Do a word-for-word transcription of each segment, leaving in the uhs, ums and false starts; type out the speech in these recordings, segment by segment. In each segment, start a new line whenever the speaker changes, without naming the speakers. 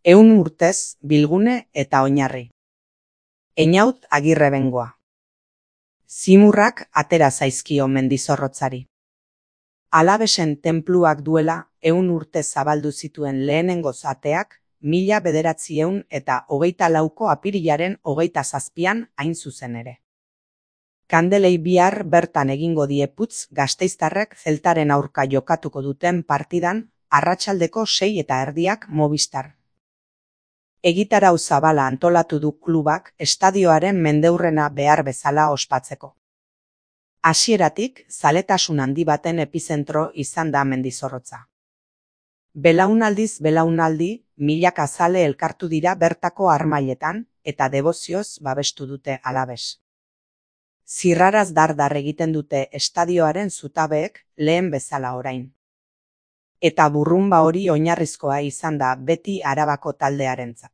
Ehun urtez, Bilgune eta Oinarri. Einaut Agirre bengoa. Zimurrak atera zaizkio Mendizorrotzari. Alabesen tenpluak duela ehun urte zabaldu zituen lehenengoz ateak, mila bederatziehun eta hogeita lauko apirilaren hogeita zazpian hain zuzen ere. Kandelei bihar bertan egingo die putz gasteiztarrek Zeltaren aurka jokatuko duten partidan, arratsaldeko sei eta erdiak Movistar. Egitarau zabala antolatu du klubak estadioaren mendeurrena behar bezala ospatzeko. Hasieratik, zaletasun handi baten epizentro izan da Mendizorrotza. Belaunaldiz belaunaldi, milaka zale elkartu dira bertako harmailetan, eta debozioz babestu dute Alabes. Zirraraz dar-dar egiten dute estadioaren zutabeek lehen bezala orain. Eta burrunba hori oinarrizkoa izan da beti Arabako taldearentzat.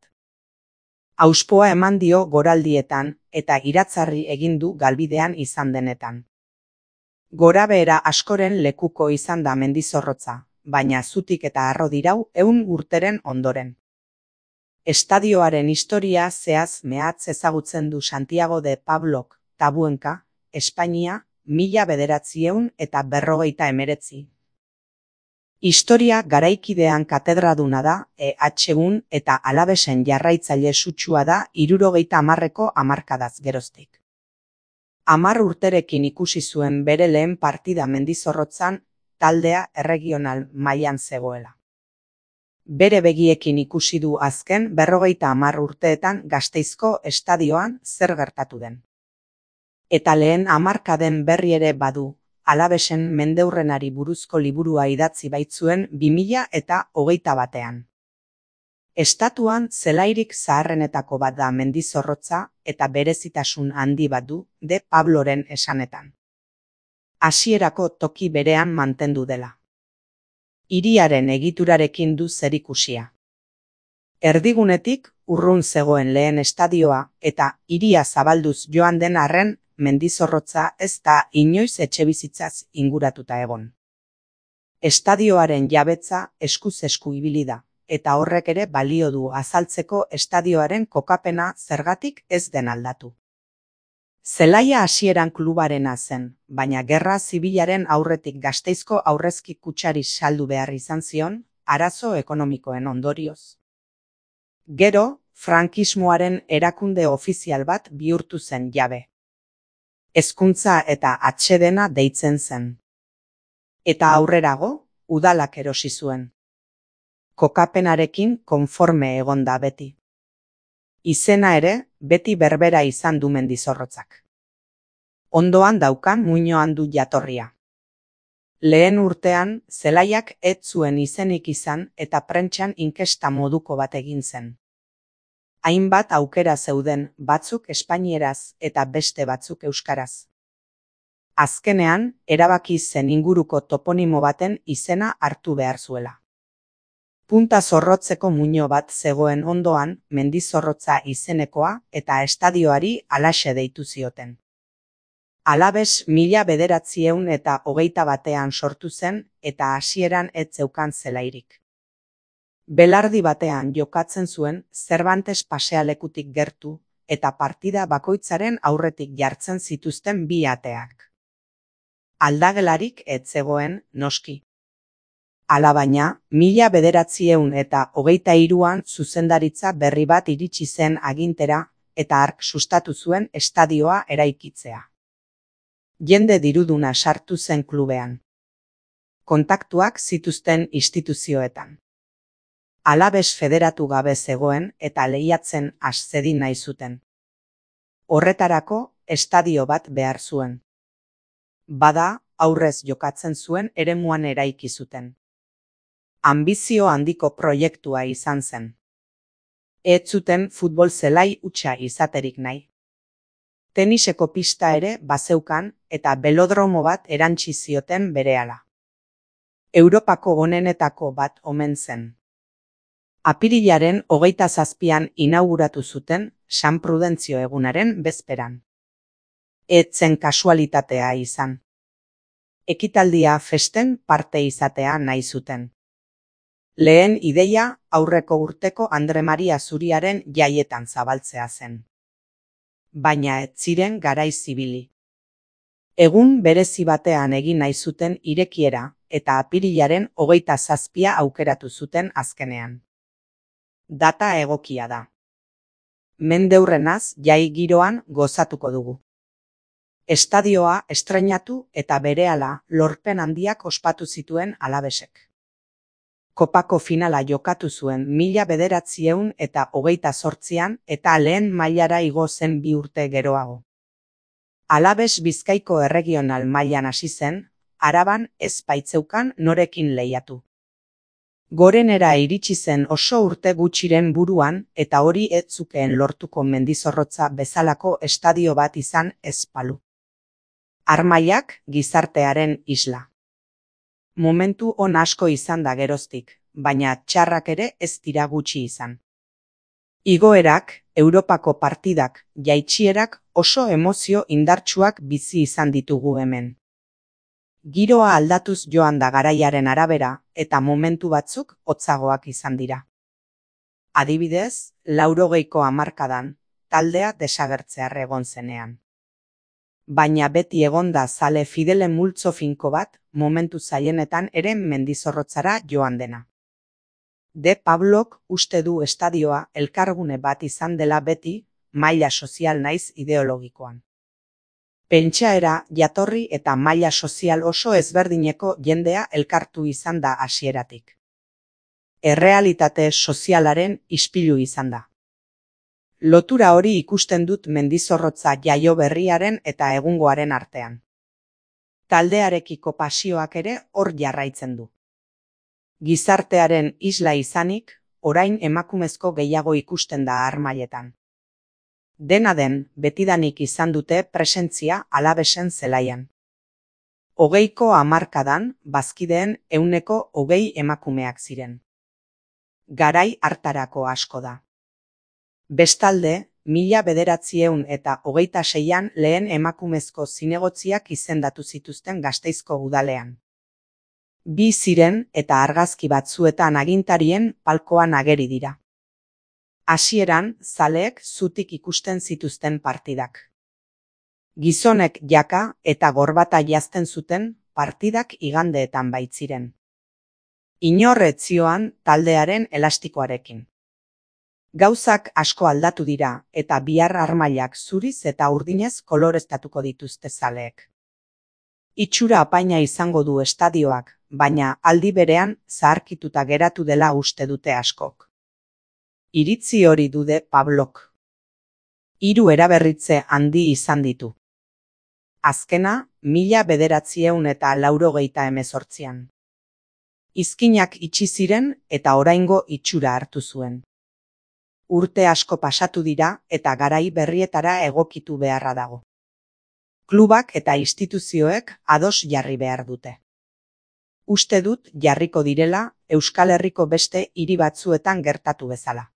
Auspoa eman dio goraldietan eta iratzarri egin du galbidean izan denetan. Gorabehera askoren lekuko izan da Mendizorrotza, baina zutik eta harro dirau ehun urteren ondoren. Estadioaren historia zehaz mehatz ezagutzen du Santiago de Pablok, Tabuenka, Espainia, mila bederatziehun eta berrogeita emeretzi. Historia garaikidean katedraduna da, E H un eta Alabesen jarraitzaile sutsua da hirurogeita hamarreko hamarkadaz geroztik. Hamar urterekin ikusi zuen bere lehen partida Mendizorrotzan, taldea erregional mailan zegoela. Bere begiekin ikusi du azken berrogeita hamar urteetan Gasteizko estadioan zer gertatu den. Eta lehen hamarkaden berri ere badu, Alabesen mendeurrenari buruzko liburua idatzi baitzuen bi mila eta hogeita batean. Estatuan zelairik zaharrenetako bat da Mendizorrotza eta berezitasun handi bat du de Pabloren esanetan. Hasierako toki berean mantendu dela. Hiriaren egiturarekin du zerikusia. Erdigunetik urrun zegoen lehen estadioa eta hiria zabalduz joan den arren Mendizorrotza ez da inoiz etxebizitzaz inguratuta egon. Estadioaren jabetza eskuz esku ibili da, eta horrek ere balio du azaltzeko estadioaren kokapena zergatik ez den aldatu. Zelaia hasieran klubarena zen, baina gerra zibilaren aurretik Gasteizko aurrezki kutxari saldu behar izan zion, arazo ekonomikoen ondorioz. Gero, frankismoaren erakunde ofizial bat bihurtu zen jabe. Hezkuntza eta atsedena deitzen zen. Eta aurrerago, udalak erosi zuen. Kokapenarekin konforme egon da beti. Izena ere, beti berbera izan du Mendizorrotzak. Ondoan daukan muinoan du jatorria. Lehen urtean, zelaiak ez zuen izenik izan eta prentsan inkesta moduko bat egin zen. Hainbat aukera zeuden, batzuk espainieraz eta beste batzuk euskaraz. Azkenean, erabaki zen inguruko toponimo baten izena hartu behar zuela. Punta Zorrotzeko muino bat zegoen ondoan, Mendizorrotza izenekoa eta estadioari halaxe deitu zioten. Alabes mila bederatziehun eta hogeita batean sortu zen eta hasieran ez zeukan zelairik. Belardi batean jokatzen zuen Cervantes pasealekutik gertu eta partida bakoitzaren aurretik jartzen zituzten bi ateak. Aldagelarik ez zegoen, noski. Alabaina, mila bederatziehun eta hogeita hiruan zuzendaritza berri bat iritsi zen agintera eta hark sustatu zuen estadioa eraikitzea. Jende diruduna sartu zen klubean. Kontaktuak zituzten instituzioetan. Alabes federatu gabe zegoen eta lehiatzen has zedin nahi zuten. Horretarako, estadio bat behar zuen. Bada, aurrez jokatzen zuen eremuan eraiki zuten. Anbizio handiko proiektua izan zen. Ez zuten futbol zelai hutsa izaterik nahi. Teniseko pista ere bazeukan eta belodromo bat erantsi zioten berehala. Europako onenetako bat omen zen. Apirilaren hogeita zazpian inauguratu zuten San Prudentzio egunaren bezperan. Ez zen kasualitatea izan. Ekitaldia festen parte izatea nahi zuten. Lehen ideia aurreko urteko Andre Maria Zuriaren jaietan zabaltzea zen. Baina ez ziren garaiz ibili. Egun berezi batean egin nahi zuten irekiera eta apirilaren hogeita zazpia aukeratu zuten azkenean. Data egokia da. Mendeurrenaz jai giroan gozatuko dugu. Estadioa estreinatu eta berehala lorpen handiak ospatu zituen Alavesek. Kopako finala jokatu zuen mila bederatziehun eta hogeita zortzian eta lehen mailara igo zen bi urte geroago. Alaves Bizkaiko erregional mailan hasi zen, Araban ez baitzeukan norekin lehiatu. Gorenera iritsi zen oso urte gutxiren buruan eta hori ez zukeen lortuko Mendizorrotza bezalako estadio bat izan ez balu. Armaiak gizartearen isla. Momentu on asko izan da geroztik, baina txarrak ere ez dira gutxi izan. Igoerak, Europako partidak, jaitsierak oso emozio indartsuak bizi izan ditugu hemen. Giroa aldatuz joan da garaiaren arabera eta momentu batzuk hotzagoak izan dira. Adibidez, laurogeiko hamarkadan, taldea desagertzear egon zenean. Baina beti egonda zale fidele multzo finko bat, momentu zailenetan ere Mendizorrotzara joan dena. De Pablok uste du estadioa elkargune bat izan dela beti, maila sozial naiz ideologikoan. Pentsaera, jatorri eta maila sozial oso ezberdineko jendea elkartu izan da hasieratik. Errealitate sozialaren ispilu izan da. Lotura hori ikusten dut Mendizorrotza jaio berriaren eta egungoaren artean. Taldearekiko pasioak ere hor jarraitzen du. Gizartearen isla izanik, orain emakumezko gehiago ikusten da Armaietan. Dena den, betidanik izan dute presentzia Alavesen zelaian. Hogeiko hamarkadan, bazkideen ehuneko hogei emakumeak ziren. Garai hartarako asko da. Bestalde, mila bederatziehun eta hogeita seian lehen emakumezko zinegotziak izendatu zituzten Gasteizko udalean. Bi ziren eta argazki batzuetan agintarien palkoan ageri dira. Hasieran, zaleek zutik ikusten zituzten partidak. Gizonek jaka eta gorbata jazten zuten partidak igandeetan baitziren. Inor ez zioan taldearen elastikoarekin. Gauzak asko aldatu dira eta bihar armailak zuriz eta urdinez koloreztatuko dituzte zaleek. Itxura apaina izango du estadioak, baina aldi berean zaharkituta geratu dela uste dute askok. Iritzi hori dude Pablok. Hiru eraberritze handi izan ditu. Azkena, mila bederatziehun eta laurogeita hemezortzian. Izkinak itxi ziren eta oraingo itxura hartu zuen. Urte asko pasatu dira eta garai berrietara egokitu beharra dago. Klubak eta instituzioek ados jarri behar dute. Uste dut jarriko direla Euskal Herriko beste hiri batzuetan gertatu bezala.